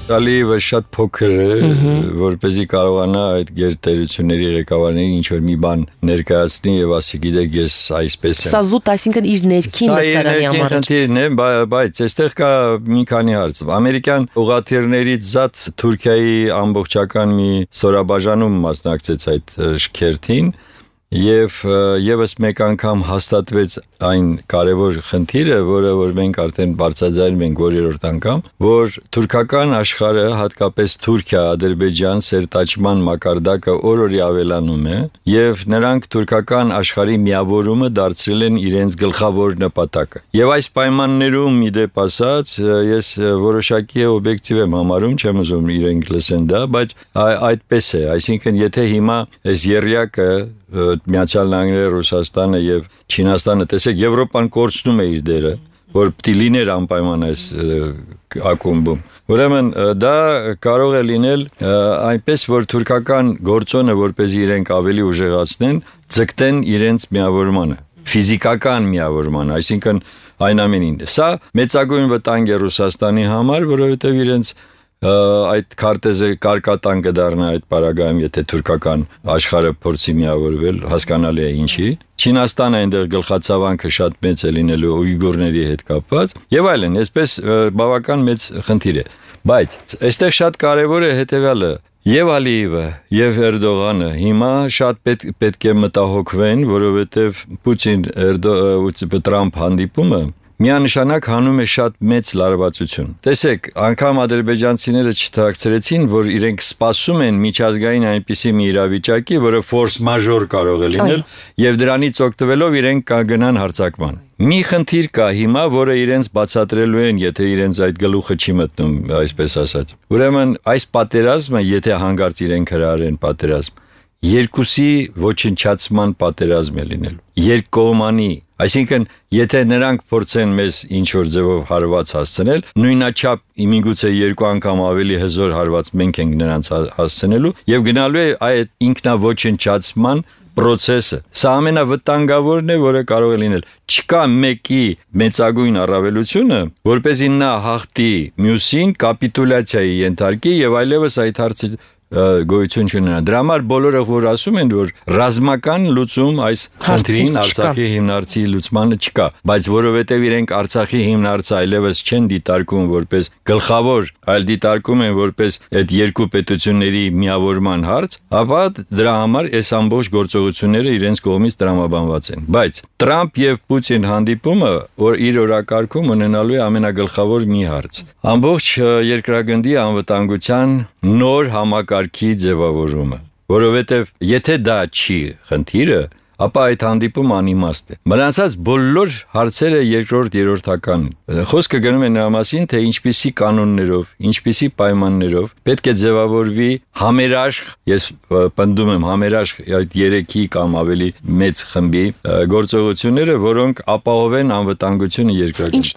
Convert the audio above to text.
Ալիևը շատ փոքր է, որպեսզի կարողանա այդ գերտերությունների ղեկավարներին ինչ-որ մի բան ներկայացնի եւ ասի, գիտեք, ես այսպես եմ։ Սա զուտ, այսինքն իր ներքին լսարանի համար։ Սա խնդիրն է, բայց այստեղ կա մի քանի հարց։ Ամերիկյան ուղղաթիռներից զատ Թուրքիայի ամբողջական մի ստորաբաժանում մասնակցեց այդ շքերթին եւ եւս մեկ անգամ հաստատվեց այն կարևոր խնդիրը, որը որ մենք արդեն բարձրաձայնում ենք որերորդ անգամ, որ թուրքական աշխարհը, հատկապես Թուրքիա, Ադրբեջան սերտաճման մակարդակը օր-օրի ավելանում է եւ նրանք թուրքական աշխարհի միավորումը դարձրել են իրենց գլխավոր նպատակը։ Եվ այս պայմաններում իդեպ ասած, ես որոշակի օբյեկտիվ եմ համարում, չեմ ուզում իրենք լսեն դա, բայց այդպես է, այսինքն եթե հիմա այս երյակը Միացյալ Նահանգները, Ռուսաստանը եւ Չինաստանը, տեսեք, Եվրոպան կորցնում է իր դերը, որ պիտի լիներ անպայման այս ակումբում։ Ուրեմն դա կարող է լինել այնպես, որ թուրքական գործոնը, որպեսզի իրենք ավելի ուժեղացնեն, ձգտեն իրենց միավորմանը, ֆիզիկական միավորմանը, այսինքն այն ամենին։ Սա մեծագույն վտանգ է Ռուսաստանի համար, որովհետեւ իրենց այդ քարտեզը կարկատան կդառնա այդ պարագայում, եթե թուրքական աշխարհը փորձի միավորվել, հասկանալի է ինչի։ Չինաստանը այնտեղ գլխացավանքը շատ մեծ է լինելու ույգուրների հետ կապված եւ այլն, այսպես բավական մեծ խնդիր է։ Բայց այստեղ շատ կարեւոր է հետեւյալը. Եվ Ալիևը եւ Էրդողանը հիմա շատ պետք է մտահոգվեն, որովհետեւ Պուտին-Տրամփ հանդիպումը միանշանակ հանում է շատ մեծ լարվածություն։ Տեսեք, անգամ ադրբեջանցիները չթաքցրեցին, որ իրենք սպասում են միջազգային այնպիսի մի իրավիճակի, որը ֆորս մաժոր կարող է լինել, եւ դրանից օգտվելով իրենք կգնան հարձակման։ Մի խնդիր կա հիմա, որը իրենց բացատրելու են, եթե իրենց այդ գլուխը չի մտնում, այսպես ասած։ Ուրեմն այս պատերազմը, եթե հանգարց իրենք հրահարեն պատերազմ, երկուսի ոչնչացման պատերազմ է լինելու։ Երկկողմանի, այսինքն, եթե նրանք փորձեն մեզ ինչ-որ ձևով հարված հասցնել, նույնաչափ միգուցե երկու անգամ ավելի հզոր հարված մենք ենք նրանց հասցնելու եւ գնալու է այդ ինքնաոչնչացման process-ը։ Սա ամենավտանգավորն է, որը կարող է լինել։ Չկա մեկի մեծագույն առավելությունը, որպեսզի նա հաղթի մյուսին, կապիտուլյացիայի ենթարկի եւ այլևս այդ հարցը գոյություն չունենա։ Դրա համար բոլորը որ ասում են, որ ռազմական լուծում այս խնդրին Արցախի հիմնարցի լուծմանը չկա, բայց որովհետև իրենք Արցախի հիմնարցը այլևս չեն դիտարկում որպես գլխավոր, այլ դիտարկում են որպես այդ երկու պետությունների միավորման հարց, ապա դրա համար այս ամբողջ գործողությունները իրենց կողմից տրամաբանված են։ Բայց Տրամփ եւ Պուտին հանդիպումը, որ իր օրակարգում ունենալու է ամենագլխավոր մի հարց։ Ամբողջ երկրագնդի անվտանգության նոր համակարգի ձևավորումը, որովհետև եթե դա չի խնդիրը, ապա այդ հանդիպումը անիմաստ է։ Մնացած բոլոր հարցերը երկրորդ երրորդական։ Խոսքը գնում է նրա մասին, թե ինչպիսի կանոններով, ինչպիսի պայմաններով պետք է ձևավորվի համերաշխ, ես պնդում եմ համերաշխ այդ 3-ի կամ ավելի մեծ խմբի գործողությունները, որոնք ապահովեն անվտանգությունը երկրագնդի։